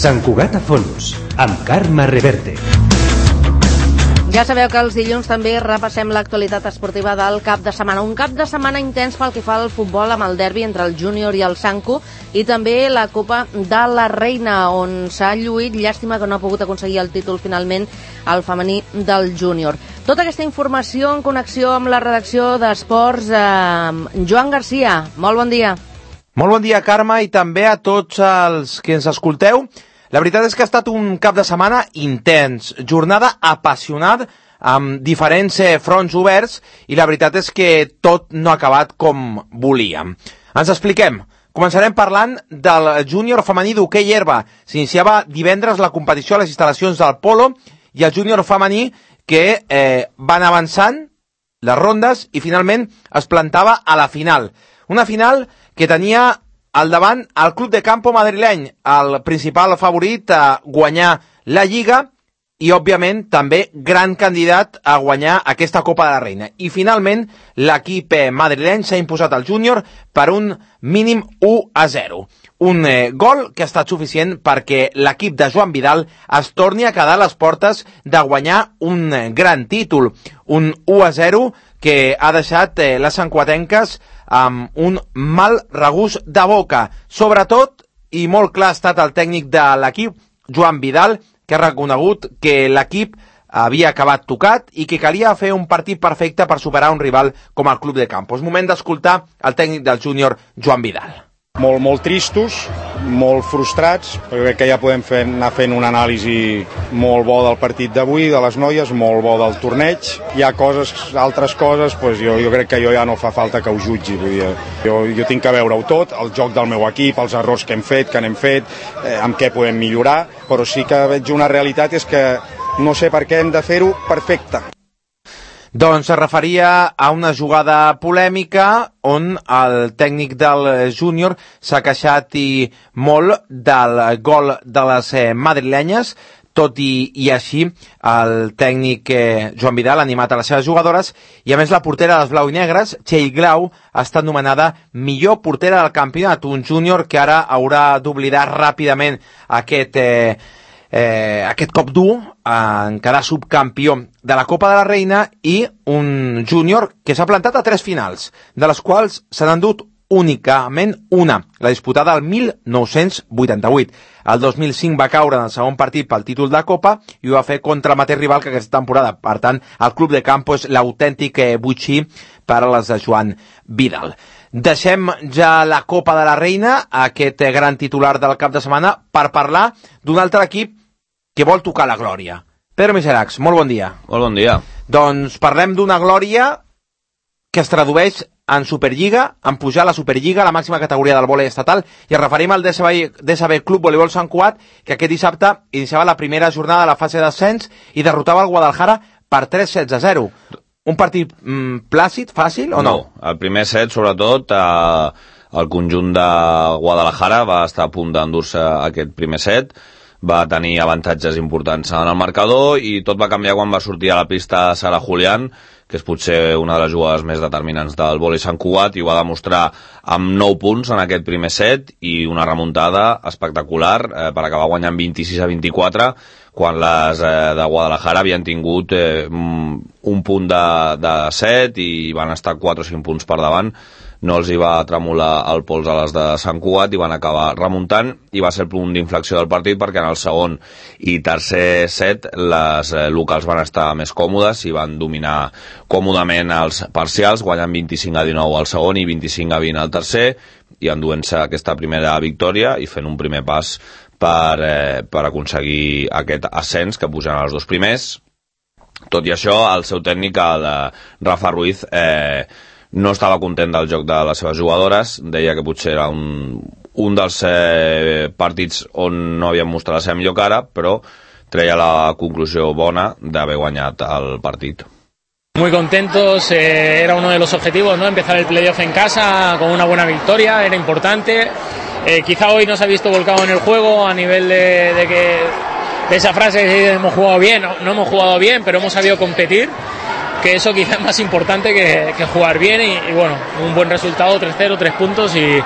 Sant Cugat a fons, amb Carme Reverte. Ja sabeu que els dilluns també repassem l'actualitat esportiva del cap de setmana. Un cap de setmana intens pel que fa al futbol amb el derbi entre el Júnior i el Sanco i també la Copa de la Reina, on s'ha lluït, llàstima que no ha pogut aconseguir el títol finalment el femení del Júnior. Tota aquesta informació en connexió amb la redacció d'Esports. Joan Garcia, molt bon dia. Molt bon dia, Carme, i també a tots els que ens escolteu. La veritat és que ha estat un cap de setmana intens, jornada apassionada, amb diferents fronts oberts, i la veritat és que tot no ha acabat com volíem. Ens expliquem. Començarem parlant del júnior femení d'hoquei herba. S'iniciava divendres la competició a les instal·lacions del Polo, i el júnior femení que van avançant les rondes i finalment es plantava a la final. Una final que tenia al davant el Club de Campo madrileny, el principal favorit a guanyar la Lliga i, òbviament, també gran candidat a guanyar aquesta Copa de la Reina. I, finalment, l'equip madrileny s'ha imposat al júnior per un mínim 1-0. Un gol que ha estat suficient perquè l'equip de Joan Vidal es torni a quedar a les portes de guanyar un gran títol. Un 1-0 que ha deixat les santcuatenques amb un mal regust de boca. Sobretot, i molt clar ha estat el tècnic de l'equip, Joan Vidal, que ha reconegut que l'equip havia acabat tocat i que calia fer un partit perfecte per superar un rival com el Club de Campo. És moment d'escoltar el tècnic del júnior, Joan Vidal. Molt tristos, molt frustrats, perquè crec que ja podem anar fent un anàlisi molt bo del partit d'avui, de les noies, molt bo del torneig. Hi ha altres coses, doncs jo crec que jo ja no fa falta que ho jutgi. Vull dir, jo tinc que veure-ho tot, el joc del meu equip, els errors que hem fet, que n'hem fet, amb què podem millorar, però sí que veig una realitat, és que no sé per què hem de fer-ho perfecte. Doncs es referia a una jugada polèmica on el tècnic del júnior s'ha queixat i molt del gol de les madrilenyes, tot i així el tècnic Joan Vidal ha animat a les seves jugadores i a més la portera dels blau i negres, Txell Glau, ha estat nomenada millor portera del campionat, un júnior que ara haurà d'oblidar ràpidament aquest cop dur en quedar subcampió de la Copa de la Reina i un júnior que s'ha plantat a 3 finals, de les quals se n'han dut únicament una, la disputada el 1988. El 2005 va caure en el segon partit pel títol de Copa i ho va fer contra el mateix rival que aquesta temporada. Per tant, el Club de Campo és l'autèntic butxí per a les de Joan Vidal. Deixem ja la Copa de la Reina, aquest gran titular del cap de setmana, per parlar d'un altre equip que vol tocar la glòria. Pedro Miseracs, molt bon dia. Molt bon dia. Doncs parlem d'una glòria que es tradueix en Superliga, en pujar a la Superliga, a la màxima categoria del vòlei estatal, i ens referim al DSB Club Voleibol Sant Cugat, que aquest dissabte iniciava la primera jornada de la fase d'ascens i derrotava el Guadalajara per 3-0. Un partit plàcid, fàcil o no? No, el primer set, sobretot, el conjunt de Guadalajara va estar a punt d'endur-se aquest primer set, va tenir avantatges importants en el marcador i tot va canviar quan va sortir a la pista Sara Julián, que és potser una de les jugades més determinants del vòlei Sant Cugat, i ho va demostrar amb 9 punts en aquest primer set i una remuntada espectacular per acabar guanyant 26-24, quan les de Guadalajara havien tingut un punt de set i van estar 4 o 5 punts per davant. No els hi va tremolar el pols a les de Sant Cugat i van acabar remuntant, i va ser el punt d'inflexió del partit perquè en el segon i tercer set les locals van estar més còmodes i van dominar còmodament els parcials, guanyant 25-19 al segon i 25-20 al tercer, i enduent-se aquesta primera victòria i fent un primer pas per aconseguir aquest ascens que pugen als 2 primers. Tot i això, el seu tècnic, el Rafa Ruiz, no estava content del joc de les seves jugadores, deia que potser era un dels partits on no havien mostrat la seva millor cara, però treia la conclusió bona d'haver guanyat el partit. Muy contentos, era uno de los objetivos, ¿no? Empezar el playoff en casa con una buena victoria, era importante. Quizá hoy no se ha visto volcado en el juego a nivel de esa frase que hemos jugado bien, no hemos jugado bien, pero hemos sabido competir, que eso quizá es más importante que jugar bien y bueno, un buen resultado, 3-0, 3 puntos y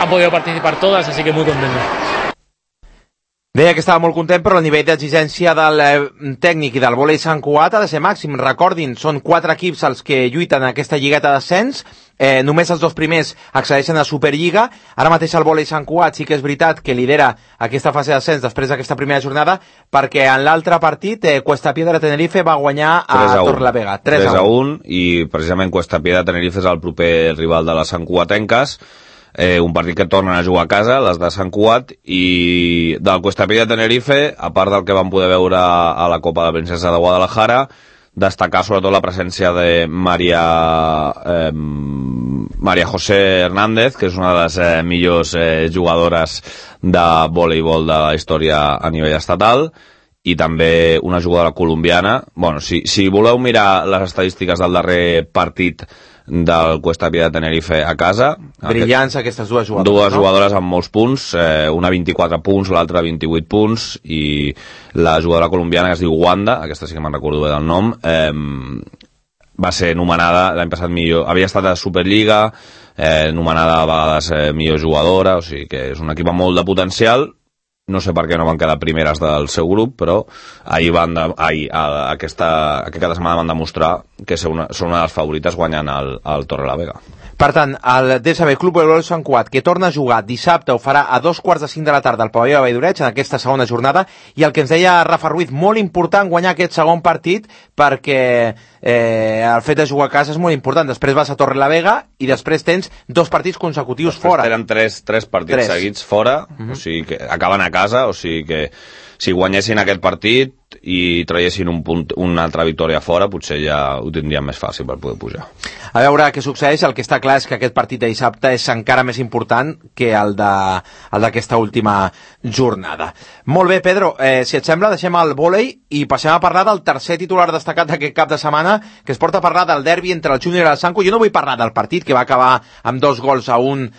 han podido participar todas, así que muy contentos. Deia que estava molt content, però el nivell d'exigència del tècnic i del vòlei Sant Cugat ha de ser màxim. Recordin, són 4 equips els que lluiten en aquesta lligueta d'ascens. Només els 2 primers accedeixen a Superliga. Ara mateix el vòlei Sant Cugat sí que és veritat que lidera aquesta fase d'ascens després d'aquesta primera jornada, perquè en l'altre partit Cuesta Piedra Tenerife va guanyar a Torrelavega 3-1, i precisament Cuesta Piedra Tenerife és el proper rival de les Sant Cugatenques. Un partit que tornen a jugar a casa, les de Sant Cugat, i del Cuesta Piedra Tenerife, a part del que vam poder veure a la Copa de la Princesa de Guadalajara, destacar sobretot la presència de María José Hernández, que és una de les millors jugadores de voleibol de la història a nivell estatal, i també una jugadora colombiana. Bueno, si voleu mirar les estadístiques del darrer partit del Cuesta Piedra Tenerife a casa, brillants aquestes dues jugadores, dues jugadores amb molts punts, una 24 punts, l'altra 28 punts, i la jugadora colombiana que es diu Wanda, aquesta sí que me'n recordo bé del nom, va ser nomenada l'any passat millor, havia estat a Superliga, nomenada a vegades millor jugadora, o sigui que és un equip amb molt de potencial. No sé per què no van quedar primeres del seu grup, però aquesta setmana van demostrar que són una de les favorites guanyant el Torrelavega. Per tant, el DSB Club Voleibol Sant Cugat, que torna a jugar dissabte, ho farà a 2:45 de la tarda al pavelló de Valldoreig en aquesta segona jornada, i el que ens deia Rafa Ruiz, molt important guanyar aquest segon partit, perquè el fet de jugar a casa és molt important. Després vas a Torrelavega i després tens 2 partits consecutius fora. Tenen 3 partits seguits fora, o sigui que acaben a casa, o sigui que si guanyessin aquest partit i traiessin una altra victòria fora, potser ja ho tindrien més fàcil per poder pujar. A veure què succeeix. El que està clar és que aquest partit de dissabte és encara més important que el d'aquesta última jornada. Molt bé, Pedro, si et sembla, deixem el vòlei i passem a parlar del tercer titular destacat d'aquest cap de setmana, que es porta a parlar del derbi entre el Júnior i el Sanco. Jo no vull parlar del partit, que va acabar amb 2-1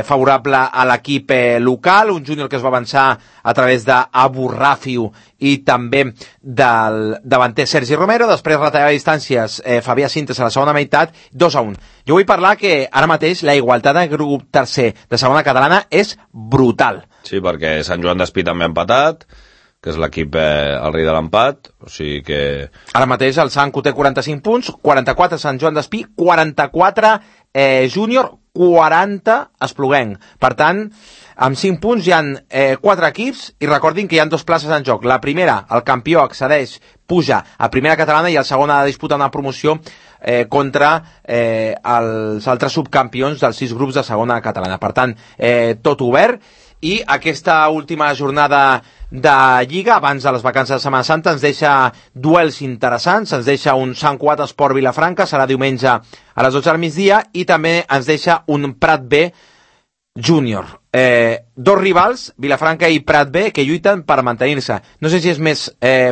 favorable a l'equip local, un Júnior que es va avançar a través d'Abu Rafiu i també del davanter Sergi Romero. Després retallava distàncies Fabià Sintes a la segona meitat, 2-1. Jo vull parlar que ara mateix la igualtat del grup tercer de segona catalana és brutal. Sí, perquè Sant Joan d'Espí també ha empatat, que és l'equip el rei de l'empat, o sigui que... Ara mateix el Sanco té 45 punts, 44 Sant Joan d'Espí, 44 Júnior, 40 Espluguenc. Per tant, amb 5 punts hi ha 4 equips, i recordin que hi ha 2 places en joc. La primera, el campió accedeix, puja a primera catalana, i el segon ha de disputar una promoció contra els altres subcampions dels 6 grups de segona catalana. Per tant, tot obert, i aquesta última jornada de Lliga, abans de les vacances de Setmana Santa, ens deixa duels interessants, ens deixa un Sant Cugat Esport Vilafranca, serà diumenge a les 12 del migdia, i també ens deixa un Prat B Júnior. 2 rivals, Vilafranca i Prat B, que lluiten per mantenir-se. No sé si és més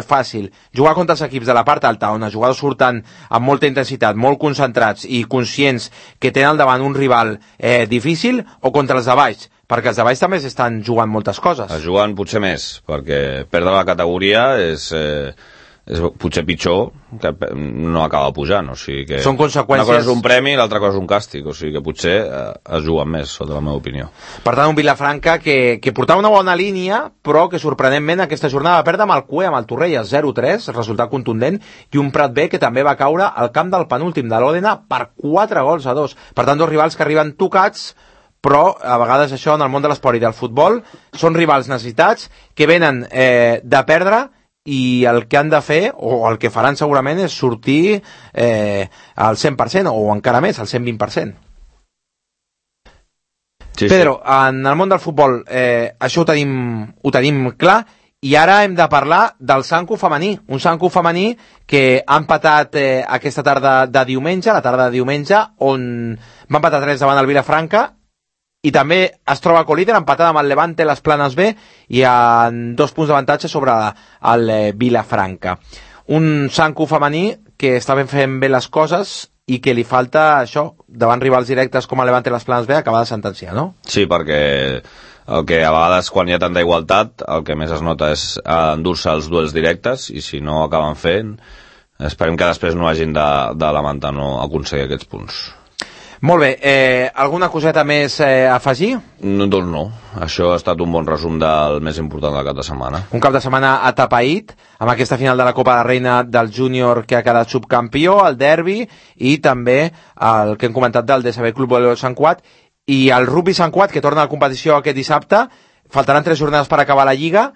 fàcil jugar contra els equips de la part alta, on els jugadors surten amb molta intensitat, molt concentrats i conscients que tenen al davant un rival difícil, o contra els de baix, perquè els de baix també s'estan jugant moltes coses. Es juguen potser més, perquè perdre la categoria és potser pitjor que no acaba pujant, o sigui que són conseqüències... Una cosa és un premi i l'altra cosa és un càstig, o sigui que potser es juguen més, sota la meva opinió. Per tant, un Vilafranca que portava una bona línia, però que sorprenentment aquesta jornada va perdre amb el Cué, amb el Torrelles, 0-3, resultat contundent, i un Prat B que també va caure al camp del penúltim de l'Òdena per 4-2. Per tant, 2 rivals que arriben tocats, però a vegades això en el món de l'esport i del futbol són rivals necessitats que venen de perdre, i el que han de fer, o el que faran segurament, és sortir al 100%, o encara més, al 120%. Sí, Pedro, sí. En el món del futbol això ho tenim clar, i ara hem de parlar del Sanco femení, un Sanco femení que ha empatat aquesta tarda de diumenge, la tarda de diumenge, on va empatar 3 davant el Vilafranca, i també es troba colíder, empatada amb el Levante les Planes B, i amb 2 punts d'avantatge sobre el Vilafranca. Un Sanco femení que està fent bé les coses i que li falta això, davant rivals directes com el Levante les Planes B, acabar de sentenciar, no? Sí, perquè el que a vegades quan hi ha tanta igualtat, el que més es nota és endur-se els duels directes, i si no acaben fent, esperem que després no hagin de lamentar no aconseguir aquests punts. Molt bé, alguna coseta més a afegir? Doncs no, això ha estat un bon resum del més important del cap de setmana. Un cap de setmana atapeït, amb aquesta final de la Copa de Reina del Júnior que ha quedat subcampió, el derbi, i també el que hem comentat del DSB Club Voleibol Sant Cugat, i el Rugby Sant Cugat, que torna a la competició aquest dissabte. Faltaran 3 jornades per acabar la Lliga,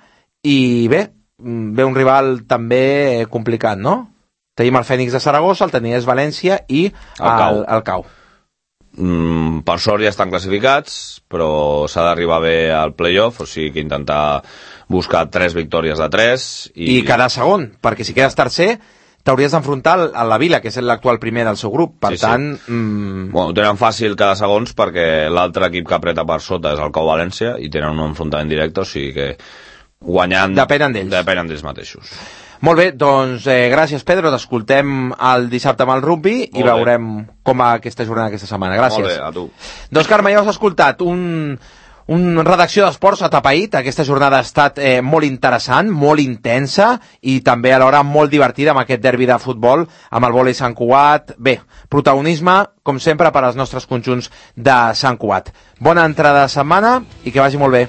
i bé, ve un rival també complicat, no? Tenim el Fènix de Saragossa, el Teniers València i el CAU. Per sort ja estan classificats, però s'ha d'arribar bé al play-off, o sigui que intentar buscar 3 victòries de 3 i quedar segon, perquè si quedes tercer t'hauries d'enfrontar a la Vila, que és l'actual primer del seu grup, per tant... Bueno, tenen fàcil quedar segons perquè l'altre equip que apreta per sota és el CAU València i tenen un enfrontament directe, o sigui que guanyant... Depenen d'ells mateixos. Molt bé, doncs gràcies, Pedro, t'escoltem el dissabte amb el rugby i veurem com va aquesta jornada aquesta setmana. Gràcies. Molt bé, a tu. Doncs Carme, ja has escoltat una redacció d'esports atapeït. Aquesta jornada ha estat molt interessant, molt intensa i també alhora molt divertida amb aquest derbi de futbol amb el vòlei Sant Cugat. Bé, protagonisme, com sempre, per als nostres conjunts de Sant Cugat. Bona entrada de setmana i que vagi molt bé.